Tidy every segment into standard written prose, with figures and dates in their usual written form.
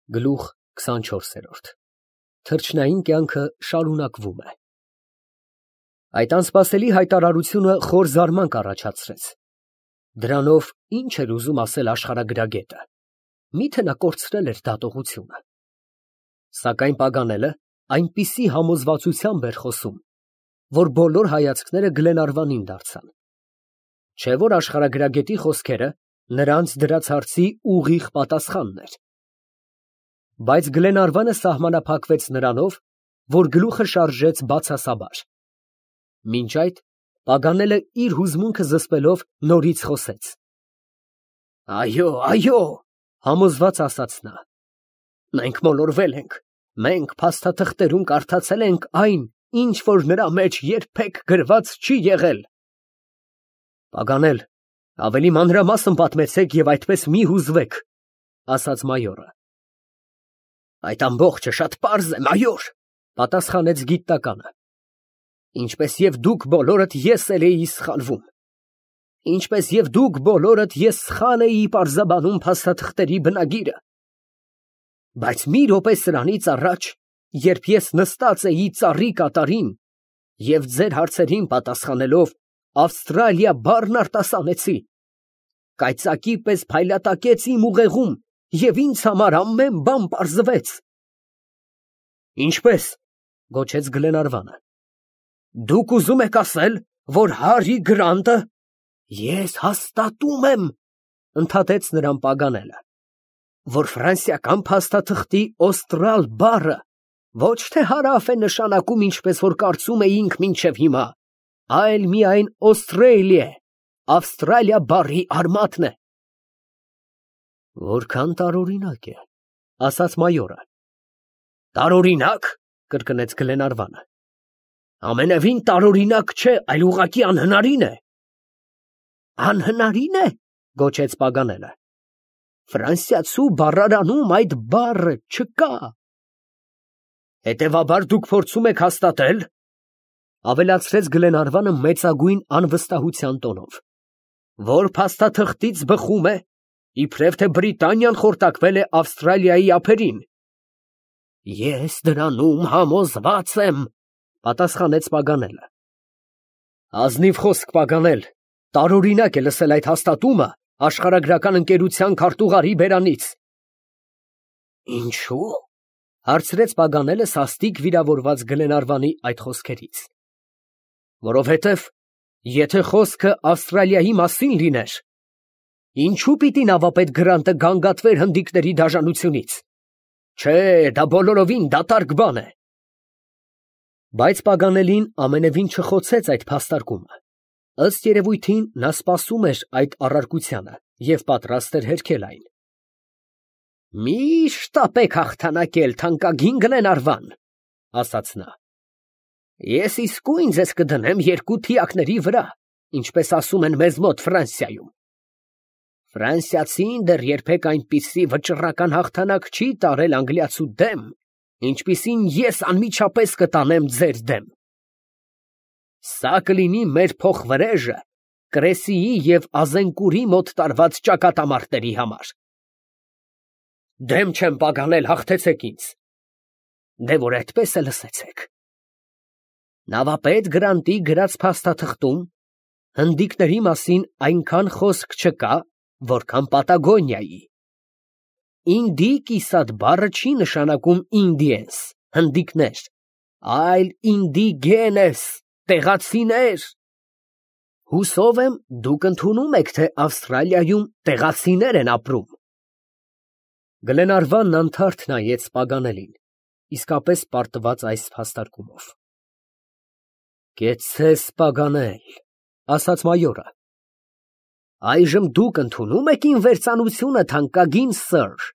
Գլուխ 24 Թռչնային կյանքը շարունակվում է։ Այդ անսպասելի հայտարարությունը խոր զարմանք առաջացրեց։ Դրանով ինչ էր ուզում ասել աշխարհագրագետը։ Միթե նա կորցրել էր դատողությունը։ Սակայն Պագանելը այնպիսի համոզվածությամբ էր խոսում, որ բոլոր հայացքները Գլենարվանին դարձան։ Չէ՞ որ աշխարհագրագետի խոսքերը նրանց դրած հարցի ուղիղ պատասխանն էր։ Բայց Գլենարվանը սահմանափակվեց նրանով, որ գլուխը շարժեց բացասաբար։ Մինչ այդ Պագանելը իր հուզմունքը զսպելով նորից խոսեց. Այո, համոզված ասաց նա։ Մենք մոլորվել ենք, մենք փաստաթղթերում կարդացել ենք այն, ինչ որ նրա մեջ երբեք գրված չի եղել։ Պագանել, ավելի մանրամասն պատմեցեք եւ այդպես մի հուզվեք, ասաց մայորը։ Այդ ամբողջը շատ պարզ է, մայոր, պատասխանեց գիտնականը։ Ինչպես եւ դուք բոլորդ ես էլ էի սխալվում։ Ինչպես եւ դուք բոլորդ ես սխալ էի պարզաբանում փաստաթղթերի բնագիրը։ Բայց մի րոպե սրանից առաջ, երբ ես նստած էի ծառի կատարին եւ ձեր հարցերին պատասխանելով Ավստրալիա բառն արտասանեցի, կայծակի պես փայլատակեց իմ ուղեղում եւ ինձ համար ամեն բան պարզվեց։ Ինչպես, գոչեց Գլենարվանը։ Դուք ուզում եք ասել, որ Հարի Գրանտը… Ես հաստատում եմ, ընդհատեց նրան Պագանելը, որ ֆրանսիական փաստաթղթի օստրալ բառը ոչ թե հարավ է նշանակում, ինչպես որ կարծում էինք մինչև հիմա, այլ միայն Australia, Ավստրալիա բառի արմատն է։ Որքան տարօրինակ է, ասաց մայորը։ Տարօրինակ, կրկնեց Գլենարվանը։ Ամենևին տարօրինակ չէ, այլ ուղղակի անհնարին է։ Անհնարին է, գոչեց Պագանելը։ Ֆրանսիացու բառարանում այդ բառը չկա։ Հետևաբար դուք փորձում եք հաստատել, ավելացրեց Գլենարվանը մեծագույն անվստահության տոնով, որ փաստաթղթից բխում է, իբրև թե Բրիտանիան խորտակվել է Ավստրալիայի ափերին։ Ես դրանում համոզված եմ, պատասխանեց Պագանելը։ Ազնիվ խոսք, Պագանել, տարօրինակ է լսել այդ հաստատումը աշխարհագրական ընկերության քարտուղարի բերանից։ Ինչու՞, հարցրեց Պագանելը սաստիկ վիրավորված Գլենարվանի այդ խոսքերից։ Որովհետև եթե խոսքը Ավստրալիայի մասին լիներ, ինչու պիտի նավապետ Գրանտը գանգատվեր հնդիկների դաժանությունից։ Չէ, դա բոլորովին դատարկ բան է։ Բայց Պագանելին ամենևին չխոցեց այդ փաստարկումը։ Ըստ երևույթին նա սպասում էր այդ առարկությանը և պատրաստ էր հերքել այն։ Մի շտապեք հաղթանակել, թանկագին Գլենարվան, ասաց նա։ Ես իսկույն ձեզ կդնեմ երկու թիակների վրա, ինչպես ասում են մեզ մոտ Ֆրանսիայում։ Ֆրանսիացին դեռ երբեք այնպիսի վճռական հաղթանակ չի տարել անգլիացու դեմ, ինչպիսին ես անմիջապես կտանեմ ձեր դեմ։ Սա կլինի մեր փոխվրեժը Կրեսիի և Ազենկուրի մոտ տարված ճակատամարտերի համար։ Դեմ չեմ, Պագանել, հաղթեցեք ինձ։ Դե որ այդպես է, լսեցեք։ Նավապետ Գրանտի գրած փաստաթղթում հնդիկների մասին այնքան խոսք չկա, որքան Պատագոնիայի։ Ինդիկիսատ բառը չի նշանակում Indians, հնդիկներ, այլ indigenes, տեղացիներ։ Հուսով եմ, դուք ընդունում եք, թե Ավստրալիայում տեղացիներ են ապրում։ Գլենարվանն անթարթ նայեց Պագանելին, իսկապես պարտված այս փաստարկումով։ Կեցցես, Պագանել, ասաց մայորը։ Այժմ դուք ընդունում եք իմ վերծանությունը, թանկագին սըր։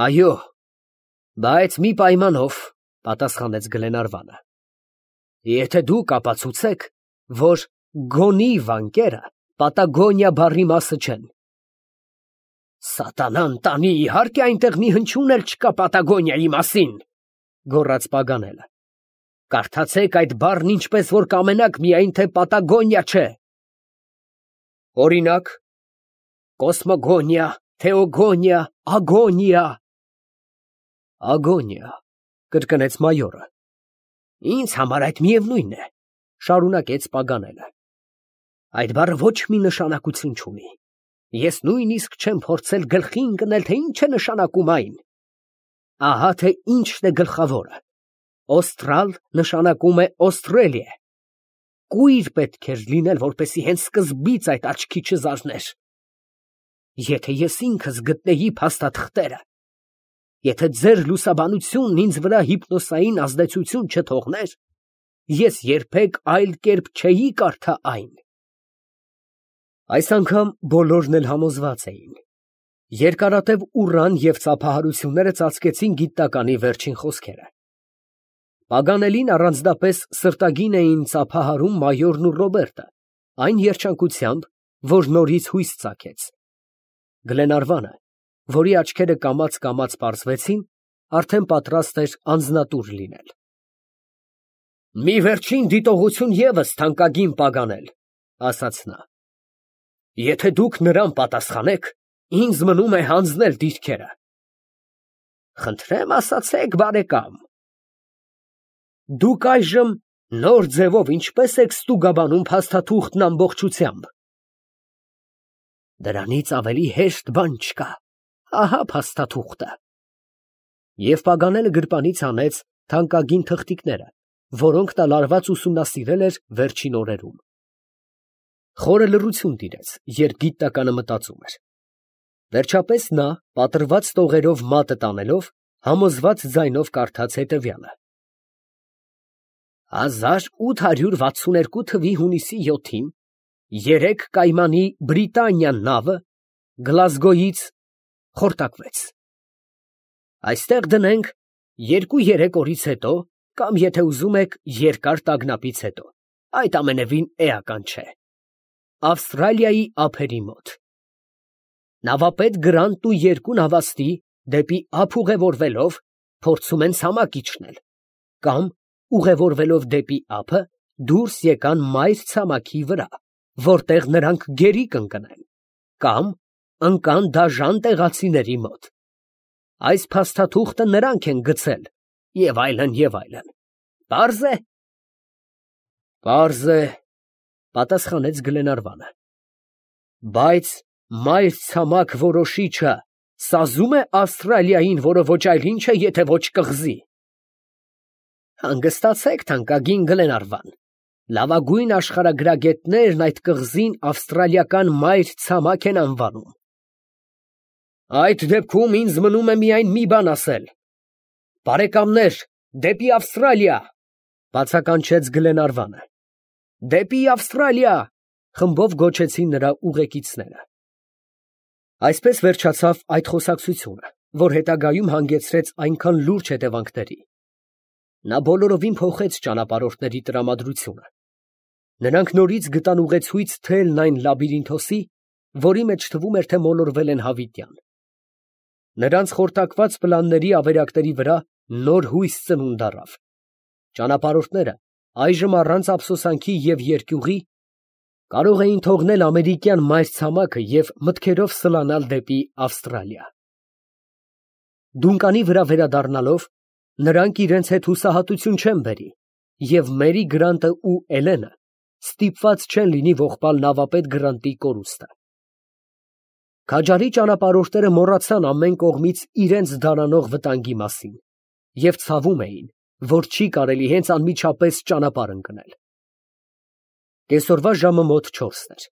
Այո, բայց մի պայմանով, պատասխանեց Գլենարվանը։ Եթե դուք ապացուցեք, որ գոնի վանկերը Պատագոնիա բառի մասը չեն։ Սատանան տանի, իհարկե այնտեղ մի հնչյուն էլ չկա Պատագոնիայի մասին, գոռաց Պագանելը։ Կարդացեք այդ բառն ինչպես որ կամենաք, միայն թե Պատագոնիա չէ։ Օրինակ, Կոսմոգոնիա, Թեոգոնիա, Ագոնիա, Ագոնիա, կրկնեց մայորը։ Ինձ համար այդ միևնույն է, շարունակեց Պագանելը։ Այդ բառը ոչ մի նշանակություն չունի։ Ես նույնիսկ չեմ փորձել գլխի ընկնել, թե ինչ է նշանակում այն։ Ահա թե ինչն է գլխավորը։ Օստրալ նշանակում է Օստրելիա։ Կույր պետք էր լինել, որպեսի հենց սկզբից այդ աչքի չզարներ։ Եթե ես ինքս գտնեի փաստաթղթերը, եթե ձեր լուսաբանությունն ինձ վրա հիպնոսային ազդեցություն չթողներ, ես երբեք այլ կերպ չէի կարդա այն։ Այս անգամ բոլորն էլ համոզված էին։ Երկարատև ուռան և ծափահարությունները ծածկեցին գիտականի վերջին խոսքերը։ Պագանելին առանձնապես սրտագին էին ծափահարում մայորն ու Ռոբերտը, այն երջանկությամբ, որ նորից հույս ծագեց։ Գլենարվանը, որի աչքերը կամաց պարզվեցին, արդեն պատրաստ էր անձնատուր լինել։ Մի վերջին դիտողություն ևս, թանկագին Պագանել, ասաց նա։ Եթե դուք նրան պատասխանեք, ինձ մնում է հանձնել դիրքերը։ Խնդրեմ ասացեք, բարեկամ։ Դուք այժմ նոր ձևով ինչպես եք ստուգաբանում փաստաթուղթն ամբողջությամբ։ Դրանից ավելի հեշտ բան չկա։ Ահա փաստաթուղթը։ Եվ Պագանելը գրպանից հանեց թանկագին թղթիկները, որոնք նա լարված ուսումնասիրել էր վերջին օրերում։ Խորը լռություն տիրեց, երբ գիտականը մտածում էր։ Վերջապես նա, պատրված տողերով մատը տանելով, համոզված ձայնով կարդաց հետևյալը. 1862 թվի հունիսի 7-ին 3 կայմանի Բրիտանիա նավը Գլազգոյից խորտակվեց։ Այստեղ դնենք 2-3 օրից հետո, կամ եթե ուզում եք, երկար տագնապից հետո, այդ ամենևին էական չէ, Ավստրալիայի ափերի մոտ։ Նավապետ Գրանտն ու 2 նավաստի դեպի ափ ուղևորվելով փորձում են ցամաք իջնել, կամ ուղևորվելով դեպի ափը դուրս եկան մայր ցամաքի վրա, որտեղ նրանք գերի կընկնեն, կամ ընկան դաժան տեղացիների մոտ։ Այս փաստաթուղթը նրանք են գցել, եւ այլն, եւ այլն։ Պարզ է։ Պարզ է, պատասխանեց Գլենարվանը։ Բայց մայր ցամաք որոշիչը սազում է Ավստրալիային, որը ոչ այլ ինչ է, եթե ոչ կղզի։ Հանգստացեք, թանկագին Գլենարվան, լավագույն աշխարհագրագետներն այդ կղզին ավստրալիական մայր ցամաք են անվանում։ Այդ դեպքում ինձ մնում է միայն մի բան ասել. բարեկամներ, դեպի Ավստրալիա, բացականչեց Գլենարվանը։ Դեպի Ավստրալիա, խմբով գոչեցին նրա ուղեկիցները։ Այսպես վերջացավ այդ խոսակցությունը, որ հետագայում հանգեցրեց այնքան լուրջ հետևանքների։ Նա բոլորովին փոխեց ճանապարհորդների տրամադրությունը։ Նրանք նորից գտան ուղեցույց թելն այն լաբիրինթոսի, որի մեջ թվում էր, թե մոլորվել են հավիտյան։ Նրանց խորտակված պլանների ավերակների վրա նոր հույս ծնունդ առավ։ Ճանապարհորդները այժմ առանց ափսոսանքի և երկյուղի կարող էին թողնել ամերիկյան մայր ցամաքը և մտքերով սլանալ դեպի Ավստրալիա։ Դունկանի վրա վերադառնալով, նրանք իրենց հետ հուսահատություն չեն բերի, և Մերի Գրանտը ու Էլենը ստիպված չեն լինի ողբալ նավապետ Գրանտի կորուստը։ Քաջարի ճանապարհորդները մոռացան ամեն կողմից իրենց դարանող վտանգի մասին և ցավում էին, որ չի կարելի հենց անմիջապես ճանապարհ ընկնել։ Կեսօրվա ժամը մոտ 4-ն էր։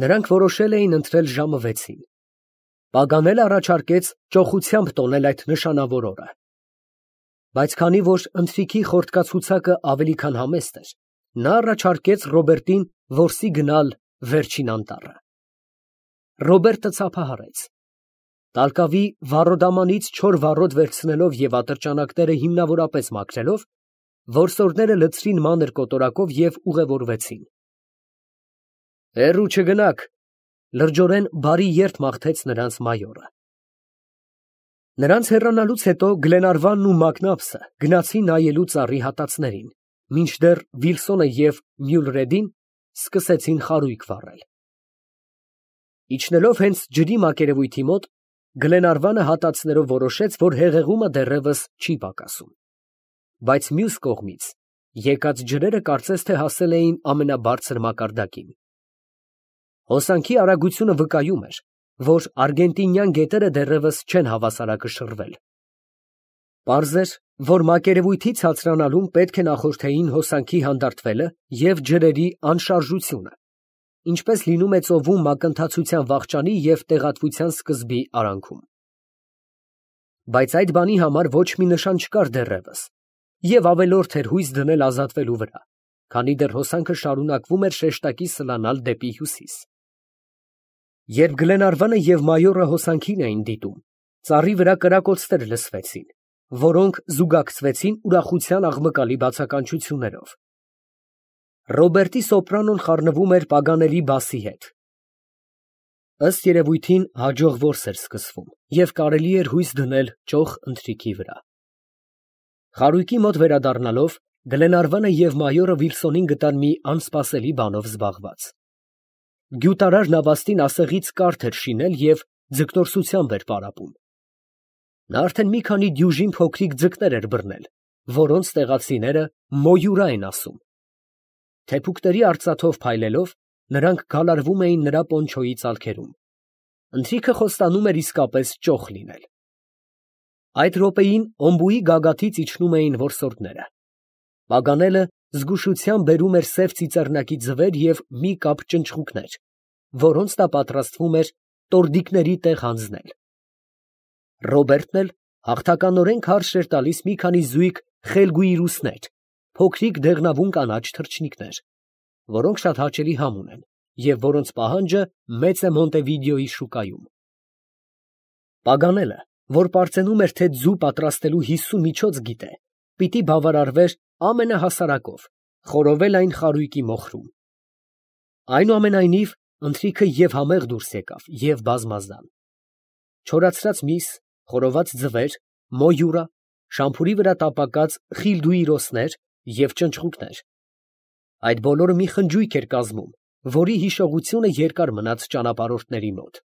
Նրանք որոշել էին ընտրել ժամը 6-ին։ Պագանելը առաջարկեց ճոխությամբ տոնել այդ նշանավոր օրը։ Բայց քանի որ ընթրիքի խորտկացուցակը ավելի քան համեստ էր, նա առաջարկեց Ռոբերտին որսի գնալ վերջին անտառը։ Ռոբերտը ծափահարեց։ Տալկավի վառոդամանից չոր վառոդ վերցնելով և ատրճանակները հիմնավորապես մաքրելով, որսորդները լցրին մանր կոտորակով և ուղևորվեցին։ Հեռու չգնաք, լրջորեն բարի երդ մաղթեց նրանց մայորը։ Նրանց հեռանալուց հետո Գլենարվանն ու Մակնաբսը գնացին նայելու ծառի հատածներին, մինչդեռ Վիլսոնը և Մյուլրեդին սկսեցին խարույկ վառել։ Իջնելով հենց ջրի մակերևույթի մոտ, Գլենարվանը հատածներով որոշեց, որ հեղեղումը դեռևս չի պակասում։ Բայց մյուս կողմից եկած ջրերը կարծես թե հասել էին ամենաբարձր մակարդակին։ Հոսանքի արագությունը վկայում էր, որ արգենտինյան գետերը դեռևս չեն հավասարակշռվել։ Պարզ էր, որ մակերևույթի ցածրանալուն պետք է նախորդեին հոսանքի հանդարտվելը և ջրերի անշարժությունը, ինչպես լինում է ծովում մակընթացության վախճանի և տեղատվության սկզբի արանքում։ Բայց այդ բանի համար ոչ մի նշան չկար դեռևս, և ավելորդ էր հույս դնել ազատվելու վրա, քանի դեռ հոսանքը շարունակվում էր շեշտակի սլանալ դեպի հյուսիս։ Երբ Գլենարվանը և մայորը հոսանքին էին դիտում, ծառի վրա կրակոցներ լսվեցին, որոնք զուգակցվեցին ուրախության աղմկալի բացականչություններով։ Ռոբերտի սոպրանոն խառնվում էր պագանելի բասի հետ։ Ըստ երևույթին հաջող որս էր սկսվում, և կարելի էր հույս դնել ճոխ ընթրիքի վրա։ Խարույկի մոտ վերադառնալով, Գլենարվանը և մայորը Վիլսոնին գտան մի անսպասելի բանով զբաղված։ Գյուտարար նավաստին ասեղից կարթ էր շինել և ձկնորսությամբ էր պարապում։ Նա արդեն մի քանի դյուժին փոքրիկ ձկներ էր բռնել, որոնց տեղացիները մոյուրա են ասում։ Թեփուկների արծաթով փայլելով, նրանք գալարվում էին նրա պոնչոյի ծալքերում։ Ընթրիքը խոստանում էր իսկապես ճոխ լինել։ Այդ րոպեին օմբուի գագաթից իջնում էին որսորդները։ Պագանելը զգուշությամբ բերում էր սև ծիծեռնակի ձվեր և մի կապ ճնճղուկներ, որոնց նա պատրաստվում էր տորդիկների տեղ հանձնել։ Ռոբերտն էլ հաղթականորեն քարշ էր տալիս մի քանի զույգ խելգույրուսներ, փոքրիկ դեղնավուն կանաչ թռչնիկներ, որոնք շատ հաճելի համ ունեն և որոնց պահանջը մեծ է Մոնտեվիդեոյի շուկայում։ Պագանելը, որ պարծենում էր, թե ձու պատրաստելու 50 միջոց գիտե, պիտի բավարարվեր ամենահասարակով, խորովել այն խարույկի մոխրում։ Այնուամենայնիվ, ընթրիքը և համեղ դուրս եկավ, և բազմազան։ Չորացրած միս, խորոված ձվեր, մոյուրա, շամփուրի վրա տապակած խիլդուիրոսներ և ճնճղուկներ։ Այդ բոլորը մի խնջույք էր կազմում, որի հիշողությունը երկար մնաց ճանապարհորդների մոտ։